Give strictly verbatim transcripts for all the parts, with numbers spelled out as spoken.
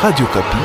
Radio Okapi.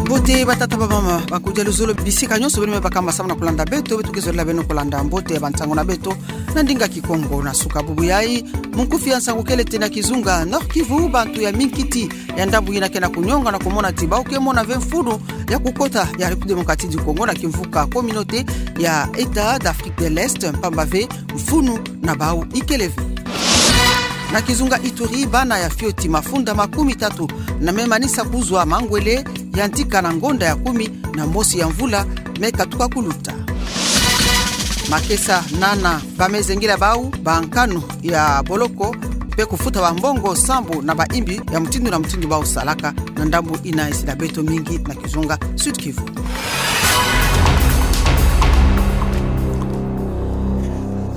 Mbote batata, bamama, bakudia luzolo, bisika nyonso beno me bakamba samu na kulanda beto, beto ke zolila beno kulanda mbote ya bansango na beto na ndinga Kikongo. Na suka bubu yayi, munkufi ya nsangu kele ti na kizunga Nord-Kivu, bantu ya minkiti ya ndambu ina ke na kunyonga na kumona ti bawu ke mona ve mfunu ya kukota ya République Démocratique du Congo na kimvuka Communauté ya État d'Afrique de l'Est, mpamba ve mfunu na bawu ikele ve. Na kizunga Ituri, bana ya fioti mafunda makumi tatu na me manisa kuzwa mangwele ya ntika na ngonda ya kumi na mosi ya mvula me katuka kuluta. Makesa nana ba me zengila bawu bankanu ya boloko mpe kufuta bambongo sambu na bayimbi ya mutindu na mutindu bawu salaka na ndambu ina esi na beto mingi na kizunga Sud-Kivu.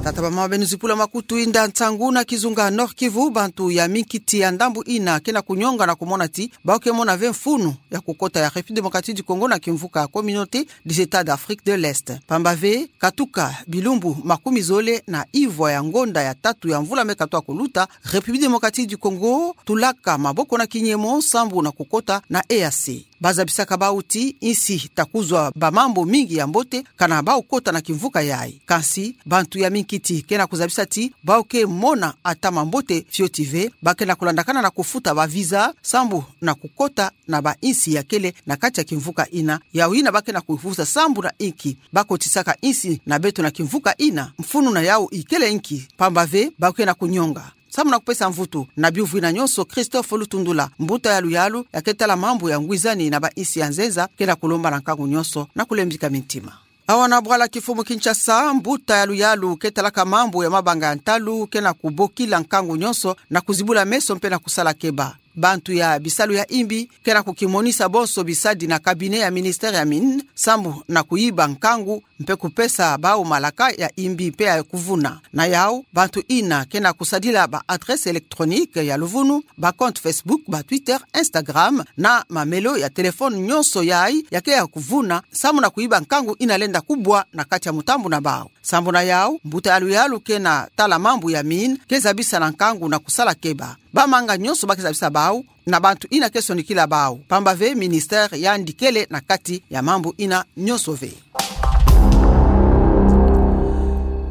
Tata, bamama, beno zipula makutu, inda nsangu. Na kizunga Nord-Kivu, bantu ya minkiti ya ndambu ina ke na kunyonga na kumona ti bawu ke mona ve mfunu ya kukota ya République Démocratique du Congo na kimvuka Communauté des États d'Afrique de l'Est, mpamba ve katuka bilumbu makumi zole na ivwa ya ngonda ya tatu ya mvula me katuka kuluta, République Démocratique du Congo tulaka maboko na kinyemo sambu na kukota na E A C. Bazabisaka bawu ti insi ta kuzwa bamambu mingi ya mbote kana bawu kota na kimvuka yayi. Kansi bantu ya minkiti ke na kuzabisa ti bawu ke mona ata mambote fioti ve, ba ke na kulandakana na kufuta ba visa sambu na kukota na bainsi ya kele na kati ya kimvuka ina. Yawu ina ba ke na kufuta sambu na inki ba kotisaka insi na beto na kimvuka ina? Mfunu na yawu ikele inki? Mpamba ve bawu ke na kunyonga. Samu na kupesa mvutu na biyuvu ina nyonso, Christophe Lutundula, mbuta ya luyalu ya ke tala mambu ya ngwizani na bainsi ya nzenza, ke na kulomba na nkangu nyonso na kulembika mintima. Awa na bwala kifumu Kinshasa, mbuta ya luyalu ke talaka mambu ya mabanga ya ntalu ke na kubokila nkangu nyonso na kuzibula meso mpe na kusala keba. Bantu ya bisalu ya imbi ke na kukimonisa bonso bisadi na cabinet ya ministère ya mines sambu na kuyiba nkangu mpe kupesa bawu malaka ya imbi mpe ya kuvuna. Na yawu, bantu ina ke na kusadila ba adresse électronique ya luvunu, ba compte Facebook, ba Twitter, Instagram, na mamelo ya téléphone nyonso yayi ya ke ya kuvuna samu na kuyiba nkangu ina lenda kubwa na kati ya mutambu na bawu. Sambu na yawu, mbuta ya luyalu ke na tala mambu ya mines ke zabisa na nkangu na kusala keba bamanga nyonso ba ke zabisa bawu na bantu ina ke sonikila bawu, mpamba ve ministère yandi kele na kati ya mambu ina nyonso ve.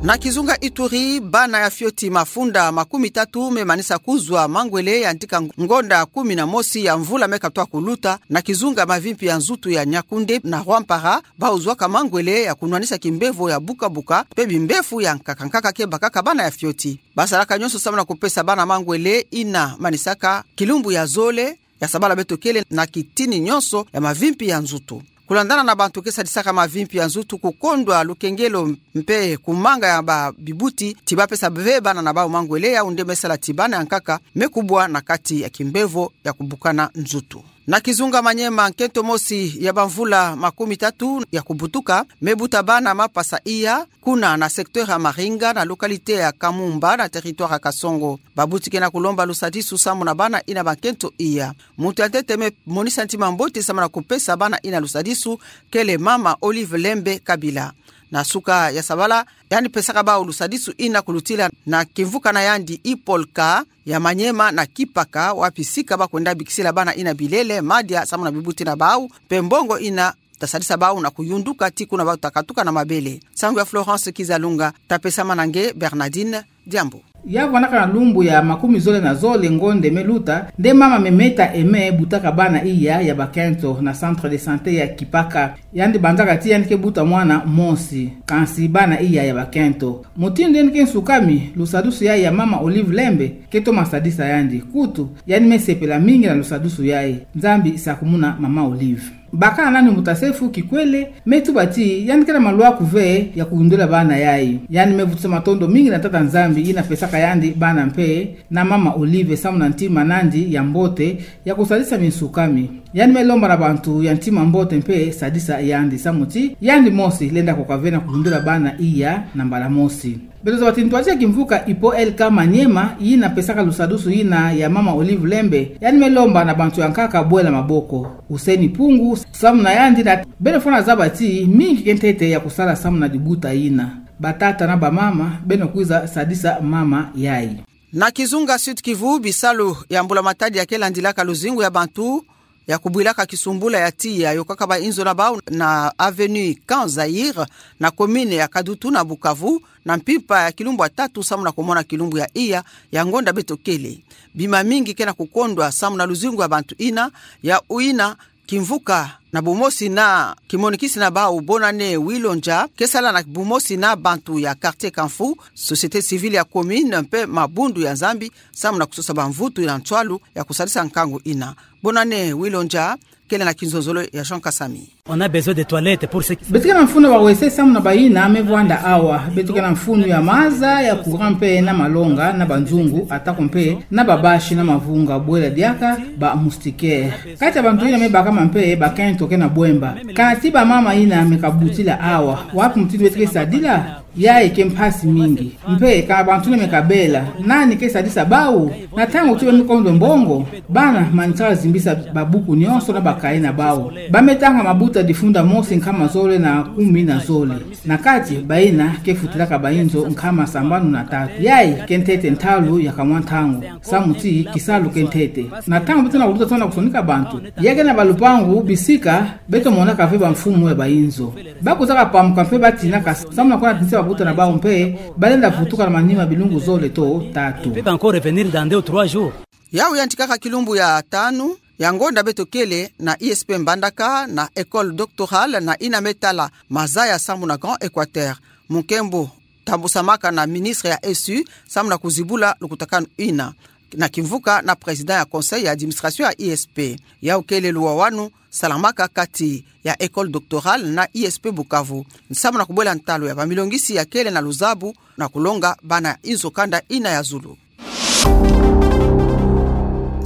Na kizunga Ituri, bana ya fioti mafunda makumi tatu me manisa kuzwa mangwele ya ntika ngonda kumi na mosi ya mvula me katuka kuluta na kizunga mavimpi ya nzutu ya Niakoundé na Rwampara, bawu zwaka mangwele ya kunwanisa kimbevo ya buka-buka mpe bimbefu ya nkaka-nkaka ke bakaka bana ya fioti. Ba salaka nyonso samu na kupesa bana mangwele ina manisaka kilumbu ya zole ya sabala beto kele na kitini nyonso ya mavimpi ya nzutu. Kulandana na bantu ke sadisaka mavimpi ya nzutu, kukondwa lukengelo mpe kumanga ya ba bibuti ti ba pesa ve bana na bawu mangwele, yawu nde me sala ti bana ya nkaka me kubwa na kati ya kimbevo ya kubukana nzutu. Na kizunga Maniema, nkento mosi ya bamvula makumi tatu ya kubutuka me buta bana mapasa iya kuna na secteur ya Maringa na localité ya Kamumba na territoire ya Kasongo. Babuti ke na kulomba lusadisu samu na bana ina bankento iya. Muntu ya ntete me monisa ntima mbote samu na kupesa bana ina lusadisu kele mama Olive Lembe Kabila. Na suka ya sabala, yandi pesaka bawu lusadisu ina kulutila na kimvuka na yandi Ipolka ya Maniema na Kipaka, wapi sika ba kwenda bikisila bana ina bilele, madia samu na bibuti na bawu mpe mbongo ina ta sadisa bawu na kuyunduka tii kuna bawu ta katuka na mabele. Nsangu ya Florence Kizalunga, ta pesama na nge Bernardine Diambu. Ya vwanaka na lumbu ya makumi zole na zole ngonde me luta, nde mama Memeta Aimé butaka bana iya ya bakento na centre de santé ya Kipaka. Yandi banzaka ti yandi ke buta mwana mosi, kansi bana iya ya bakento. Mutindu yandi ke nsukami, lusadisu yayi ya mama Olive Lembe ke toma sadisa yandi. Kutu, yandi me sepela mingi na lusadisu yayi. Nzambi sakumuna mama Olive. Bakala nani mbuta Sefu Kikwele, me tuba ti yandi kena maluaku ve ya kuyundula bana yayi. Yandi me vutisa matondo mingi na Tata Nzambi ina pesaka yandi bana mpe na mama Olive samu na ntima nandi ya mbote ya kusadisa minsukami. Yandi me lomba na bantu ya ntima mbote mpe sadisa yandi samu ti yandi mosi lenda koka ve na kulundula bana iya na mbala mosi. Beto zaba ti ntwadi ya kimvuka Hippo L K Maniema, yina pesaka lusadusu yina ya mama Olive Lembe, yandi me lomba na bantu ya nkaka bwela maboko. Hussein Pungu, samu na yandi na beno fwana zaba ti mingi ke ntete ya kusala samu na libuta yina. Batata na bamama, beno kwiza sadisa mama yayi. Na kizunga Sud-Kivu, bisalu ya mbula-matadi ya ke landilaka luzingu ya bantu ya kubwilaka kisumbula ya tiya yokaka bainzo na bau na avenue Camp Zaïre, na commune ya Kadutu na Bukavu, na mpimpa ya kilumbu ya tatu samu na kumona kilumbu ya iya ya ngonda beto kele. Bima mingi ke na kukondwa samu na luzingu ya bantu yina, ya yina kimvuka na bumosi na kimonikisi na bau Bonane Wilonja, ke sala na bumosi na bantu ya quartier Kamfu, société civile ya commune mpe mabundu ya Nzambi, samu na kusosa bamvutu na nswalu ya kusadisa nkangu yina. Bonane Wilonja, kele na kinzonzolo ya Jean Kasami. On a besoin de toilettes pour ceux qui... Beto ke na mfunu ya ba-WC samu na bayina me vwanda awa. Beto ke na mfunu ya maza, ya courant mpe na malonga, na banzungu, atako mpe na babashi na mavunga, bwela diaka ba moustiquaire. Kati ya bantu yina me bakama mpe bakento ke na bwemba. Kana ti bamama yina me kabutila awa, wapi mutindu beto ke sadila? Yayi ke mpasi mingi. Mpe kana bantu yina me kabela, nani ke sadisa bau? Na ntangu ti ba me kondo mbongo, bana manisaka zimbisa babuku nionso na bakaye na bau. Ba me tanga mabuta difunda mosi nkama zole na kumi na zole. Na kati, bayina ke futilaka bainzo nkama sambanu na tatu. Yayi ke ntete ntalu ya kamwa ntangu, samu ti kisalu ke ntete. Na ntangu beto na kuluta tona kusonika bantu, ya ke na balupangu bisika, beto monaka ve bamfumu ya bainzo. Ba kwizaka pamuka mpe batinaka samu na kwenda tinisa babuta na bau mpe ba lenda vutuka na manima bilungu zole to tatu. Ils peuvent encore revenir dans deux ou trois jours. Yau yantikaka kilumbu ya tanu ya ngonda beto kele na I S P Mbandaka, na école doctorale na yina me tala mazaya samu na Grand Equateur. Mu nkembo tambusamaka na ministre ya S U samu na kuzibula lukutakanu yina, na kimvuka na président ya conseil ya administration ya I S P. Yau kele luwawanu salamaka kati ya école doctorale na I S P Bukavu, samu na kubwela ntalu ya bamilongisi ya kele na luzabu na kulonga bana inzo kanda yina ya zulu.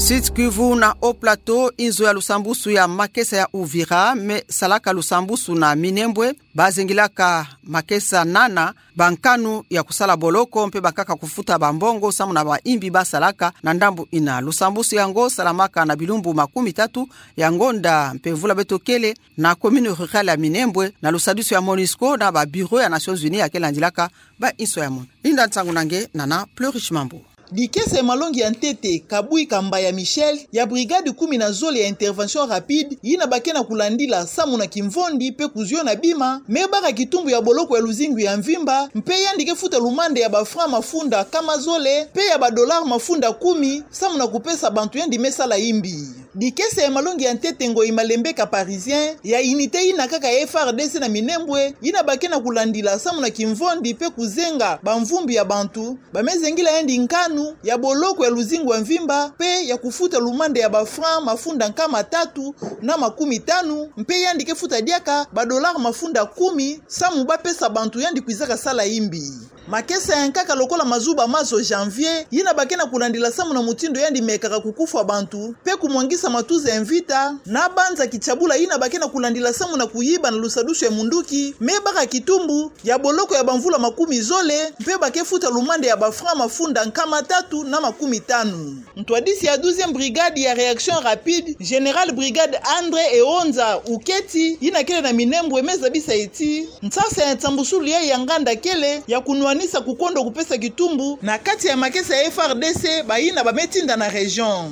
Sud-Kivu na Haut-Plateau, inzo ya lusambusu ya makesa ya Uvira me salaka lusambusu na Minembwe, bazengilaka makesa nana bankanu ya kusala boloko mpe bakaka kufuta bambongo samu na baimbi basalaka na ndambu yina. Lusambusu yango salamaka na bilumbu makumi tatu ya ngonda mpe mvula beto kele na commune rurale ya Minembwe, na lusadusu ya MONUSCO na ba bureau ya Nations Unies ya ke landilaka bainso ya mono. Linda nsangu na nge, nana Pleurish Mambu. Dikesa ya malongi ya ntete, Kabui Kambaya Michel, ya brigade kumi na zole ya intervention rapide, yina ba ke na kulandila samu na kimvondi mpe kuziona bima, me baka kitumbu ya boloko ya luzingu ya mvimba, mpe yandi ke futa lumanda ya ba francs mafunda nkama zole, mpe ya ba dollars mafunda kumi, samu na kupesa bantu yandi me sala imbi. Dikesa ya malongi ya ntete Ngoyi Malembeka Parisien, ya unité yina kaka ya F A R D C na Minembwe, yina ba ke na kulandila samu na kimvondi mpe kuzenga bamvumbi ya bantu, ba me zengila yandi nkanu ya boloko ya luzingu ya mvimba, mpe ya kufuta lumanda ya ba francs mafunda nkama tatu na makumi tanu, mpe yandi ke futa diaka ba dollars mafunda kumi, samu ba pesa bantu yandi kwizaka sala imbi. Makesa ya nkaka lokola Mazuba Mazo Janvier, yina ba ke na kulandila samu na mutindu yandi mekaka kukufwa bantu, mpe kumwangisa matuza ya mvita, na banza kitiabula yina ba ke na kulandila samu na kuyiba na lusadusu ya munduki, me baka kitumbu ya boloko ya bamvula makumi zole, mpe ba ke futa lumanda ya ba francs mafunda nkama tatu na makumi tanu. Ntwadisi ya douzième brigade ya réaction rapide, général brigade André Eonza Uketi, yina kele na Minembwe, me zabisa ti nsasa ya nsambusulu yayi ya nganda kele ya kunwanisa kukondo kupesa kitumbu na kati ya makesa ya F A R D C, bayina ba me tinda na région.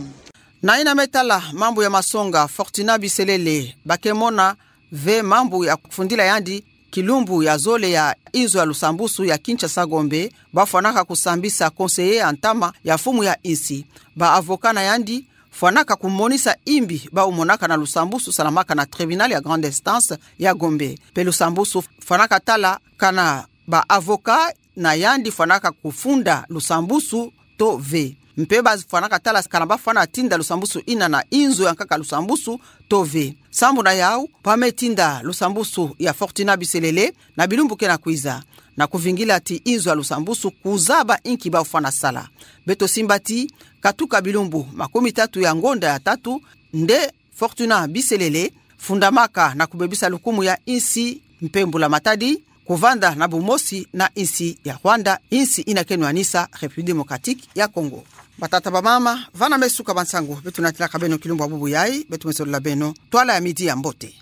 Na yina me tala mambu ya masonga, Fortunat Biselele, ba ke mona ve mambu ya kufundila yandi kilumbu ya zole ya inzo ya lusambusu ya Kinshasa Gombe, ba fwanaka kusambisa conseiller ya ntama ya mfumu ya insi. Ba avocat na yandi fwanaka kumonisa imbi bau monaka na lusambusu salamaka na tribunal ya grande instance ya Gombe. Mpe lusambusu fwanaka tala kana ba avocat na yandi fwanaka kufunda lusambusu to ve. Mpe ba fwanaka tala kana ba fwana tinda lusambusu yina na inzo ya nkaka lusambusu to ve. Sambu na yau, ba me tinda lusambusu ya Fortunat Biselele na bilumbu ke na kwiza, na kuvingila ti inzo ya lusambusu kuzaba inki bau fwana sala. Beto simba ti katuka bilumbu makumi tatu ya ngonda ya tatu, nde Fortunat Biselele, fundamaka na kubebisa lukumu ya insi mpe mbula matadi, kuvanda na bumosi na insi ya Rwanda, insi ina keno anisa République Démocratique ya Congo. Batata, bamama, vana me suka bansangu beto natilaka beno kilumbu ya bubu yayi. Beto me solola beno twala ya midi ya mbote.